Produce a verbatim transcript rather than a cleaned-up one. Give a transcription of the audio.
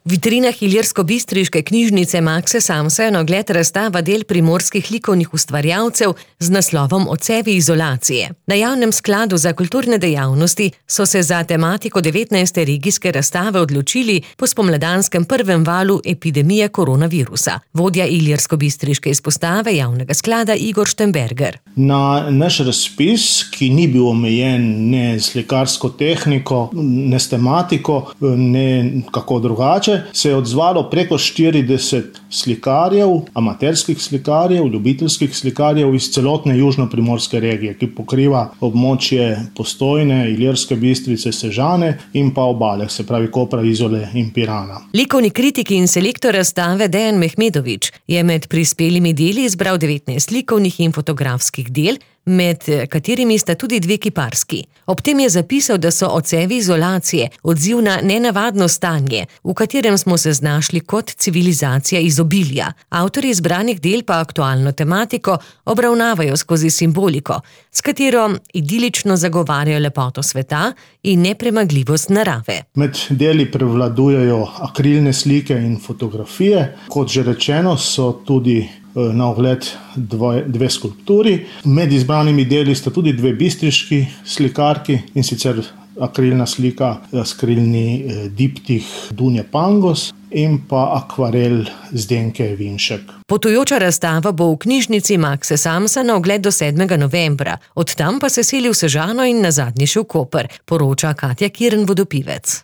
V vitrinah ilirskobistriške knjižnice Makse Samsa je na ogled razstava del primorskih likovnih ustvarjalcev z naslovom Odsevi izolacije. Na Javnem skladu za kulturne dejavnosti so se za tematiko devetnajste regijske razstave odločili po spomladanskem prvem valu epidemije koronavirusa. Vodja ilirskobistriške izpostave Javnega sklada Igor Štemberger. Na naš razpis, ki ni bil omejen ne s slikarsko tehniko, ne s tematiko, ne kako drugače, se je odzvalo preko štirideset slikarjev, amaterskih slikarjev, ljubiteljskih slikarjev iz celotne južno-primorske regije, ki pokriva območje Postojne, Ilirske Bistrice, Sežane in pa obale, se pravi Kopra, Izole in Pirana. Likovni kritik in selektor razstave Dejan Mehmedović je med prispelimi deli izbral devetnajst likovnih in fotografskih del, med katerimi sta tudi dve kiparski. Ob tem je zapisal, da so odsevi izolacije odziv na nenavadno stanje, v katerem smo se znašli kot civilizacija izobilja. Avtorji izbranih del pa aktualno tematiko obravnavajo skozi simboliko, s katero idilično zagovarjajo lepoto sveta in nepremagljivost narave. Med deli prevladujejo akrilne slike in fotografije. Kot že rečeno, so tudi na ogled dve, dve skulpturi. Med izbranimi deli sta tudi dve bistriški slikarki, in sicer akrilna slika Skrilni diptih Dunje Pangos in pa akvarel Zdenke Vinšek. Potujoča razstava bo v knjižnici Makse Samsa na ogled do sedmega novembra. Od tam pa se seli v Sežano in nazadnje še v Koper, poroča Katja Kirn Vodopivec.